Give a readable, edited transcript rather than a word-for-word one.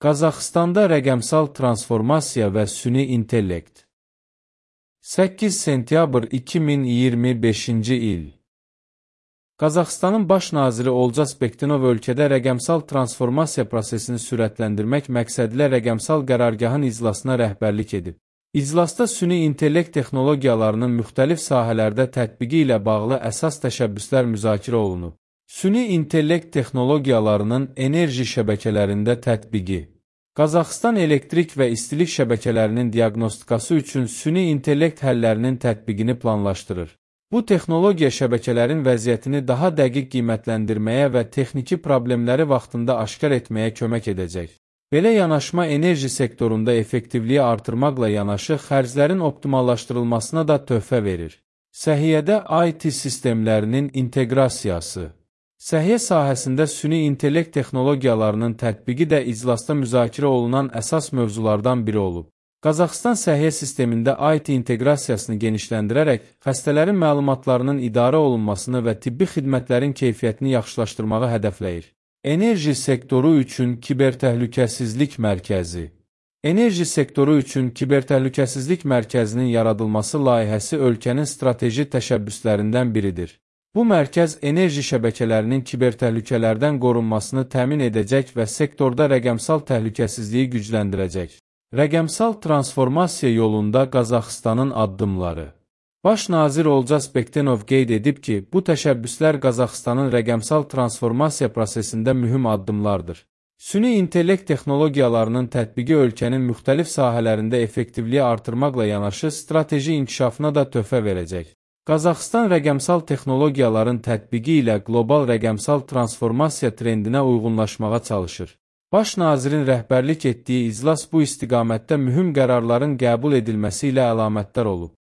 Qazaxıstanda rəqəmsal transformasiya və süni intellekt. 8 sentyabr 2025-ci il. Qazaxıstanın baş naziri Olcas Bektinov ölkədə rəqəmsal transformasiya prosesini sürətləndirmək məqsədilə rəqəmsal qərargahın iclasına rəhbərlik edib. İclasda süni intellekt texnologiyalarının müxtəlif sahələrdə tətbiqi ilə bağlı əsas təşəbbüslər müzakirə olunub. Süni intellekt texnologiyalarının enerji şəbəkələrində tətbiqi. Qazaxıstan elektrik və istilik şəbəkələrinin diaqnostikası üçün süni intellekt həllərinin tətbiqini planlaşdırır. Bu texnologiya şəbəkələrin vəziyyətini daha dəqiq qiymətləndirməyə və texniki problemləri vaxtında aşkar etməyə kömək edəcək. Belə yanaşma enerji sektorunda effektivliyi artırmaqla yanaşı xərclərin optimallaşdırılmasına da töhfə verir. Səhiyyədə IT sistemlərinin inteqrasiyası. Səhiyyə sahəsində süni intellekt texnologiyalarının tətbiqi də iclasda müzakirə olunan əsas mövzulardan biri olub. Qazaxıstan səhiyyə sistemində IT inteqrasiyasını genişləndirərək, xəstələrin məlumatlarının idarə olunmasını və tibbi xidmətlərin keyfiyyətini yaxşılaşdırmağı hədəfləyir. Enerji sektoru üçün kibertəhlükəsizlik mərkəzi. Enerji sektoru üçün kibertəhlükəsizlik mərkəzinin yaradılması layihəsi ölkənin strateji təşəbbüslərindən biridir. Bu mərkəz enerji şəbəkələrinin kibertəhlükələrdən qorunmasını təmin edəcək və sektorda rəqəmsal təhlükəsizliyi gücləndirəcək. Rəqəmsal transformasiya yolunda Qazaxıstanın addımları. Baş nazir Olcas Bektinov qeyd edib ki, bu təşəbbüslər Qazaxıstanın rəqəmsal transformasiya prosesində mühüm addımlardır. Süni intellekt texnologiyalarının tətbiqi ölkənin müxtəlif sahələrində effektivliyi artırmaqla yanaşı strateji inkişafına da töhfə verəcək. Qazaxıstan rəqəmsal texnologiyaların tətbiqi ilə qlobal rəqəmsal transformasiya trendinə uyğunlaşmağa çalışır. Baş nazirin rəhbərlik etdiyi iclas bu istiqamətdə mühüm qərarların qəbul edilməsi ilə əlamətdar olub.